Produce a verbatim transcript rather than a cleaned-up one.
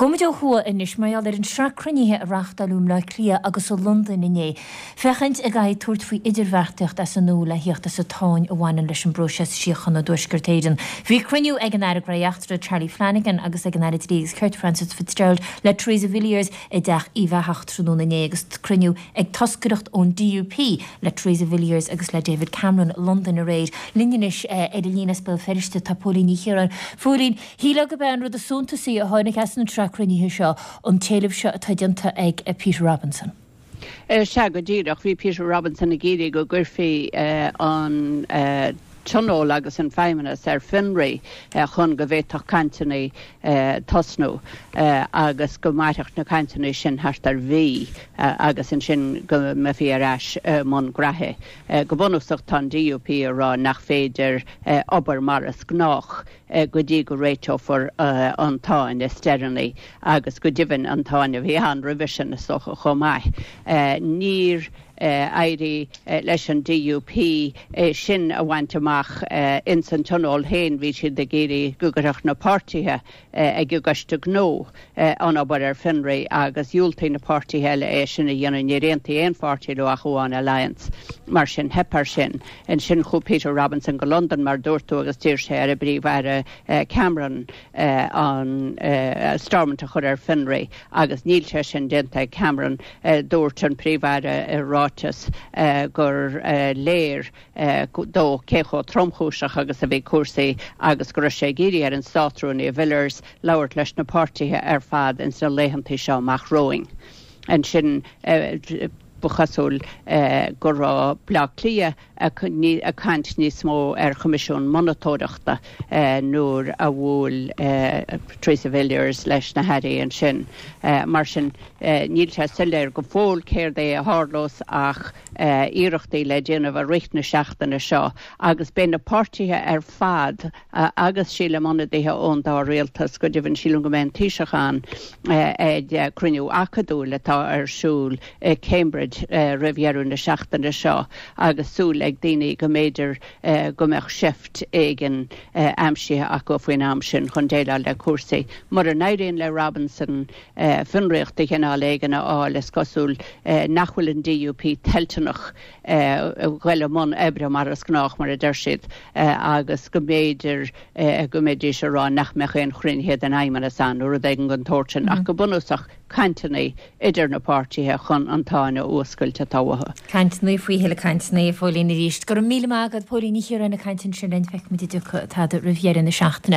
Gabhfaimid ó thuaidh anois mar gheall ar an sraith cruinnithe a reáchtáladh i mBleá Cliath agus i Londain inné. Féachaint an gcaithfí tabhairt faoi idirbheartaíocht as an nua le thíocht as an tsáinn a bhaineann leis an bpróiseas síochána i dTuaisceart Éireann. Bhí cruinniú ag an Aire Gnóthaí Eachtracha Charlie Flanagan agus ag an Aire Dlí agus Cirt Frances Fitzgerald le Theresa Villiers i dTeach Uíbh Eachach tráthnóna inné agus cruinniú ag toscaireacht ón DUP le Theresa Villiers agus le David Cameron i Londain aréir. Linn anois eh, ar an líne as Béal Feirste tá Póilín Ní Chiaráin. Phóilín, shílfeá gurb é an rud is suntasaí a tháinig as an tsraith cruinnithe seo an t-éileamh seo atá déanta ag eh, Peter Robinson. Sea go díreach bhí Peter Robinson ag iarraidh go gcuirfí an tionól agus an feidhmeannas ar fionraí chun go bhféadfadh cainteanna tosnú agus go mairfeadh na cainteanna sin thart ar mhí agus ansin go mbeifí ar ais mbun gnaithe. Go bunúsach tá an DUP ag rá nach féidir obair mar is gnách go dtí go réiteofar an tsáinn is deireanaí agus go deimhin an tsáinn a bhí ann roimhe sin is dócha chomh maith. Níor éirigh leis an DUP sin a bhaint amach ins an tionól féin bhí siad ag iarraidh go gcuirfeadh na páirtithe ag an gcoiste gnó an obair ar fionraí agus dhiúltaigh na páirtithe eile é sin a dhéanamh níor aontaigh aon pháirtí leo ach amháin Alliance mar sin theip air sin. Ansin chuaigh Peter Robinson go London mar dúirt tú agus d'iarr sé ar an bPríomh-Aire Cameron an Stormont a chur ar fionraí agus níl sé sin déanta ag Cameron dúirt an Príomh-Aire i ráiteas gur léir dó cé chomh tromchúiseach agus a bhí cúrsaí agus go raibh sé ag iarraidh ar an Státrúnaí Villiers labhairt leis na páirtithe ar fad ins na laethanta seo amach romhainn. Ansin ba chosúil go raibh Bleá Cliath ag caint níos mó ar Choimisiún Monatóireachta nuair a bhuail Theresa Villiers leis na hairí ansin. Mar sin níl sé soiléir go fóill céard é a tharlós ach iarrachtaí le déanamh i rith na seachtaine seo agus beidh na páirtithe ar fad agus sílim ionadaithe ón dá rialtas go deimhin sílim go mbeidh an Taoiseach ann ag cruinniú acadúil atá ar siúl i Cambridge roimh dheireadh na seachtaine seo agus súil ag daoine go mb'fhéidir go mbeadh seift éigin aimsithe acu faoin am sin chun déileáil le cúrsaí. Mura n-éiríonn le Robinson fionraíocht de chineál éigin a fháil is cosúil nach bhfuil an DUP toilteanach dul i mbun oibre mar is gnách mar a deir siad agus go mb'fhéidir go mbeidís ag rá nach mbeadh aon chruinnithe den fheidhmeannas ann nó rud éigin den tsórt sin ach go bunúsach cainteanna idir na páirtithe chun an tsáinn a fhuascailt atá uathu. Cainteanna faoi thuilleadh cainteanna Phóilín arís. Go raibh míle maith agat Póilín Ní Chiaráin ag caint ansin linn feicfimid an dtiocfaidh tada roimh dheireadh na seachtaine.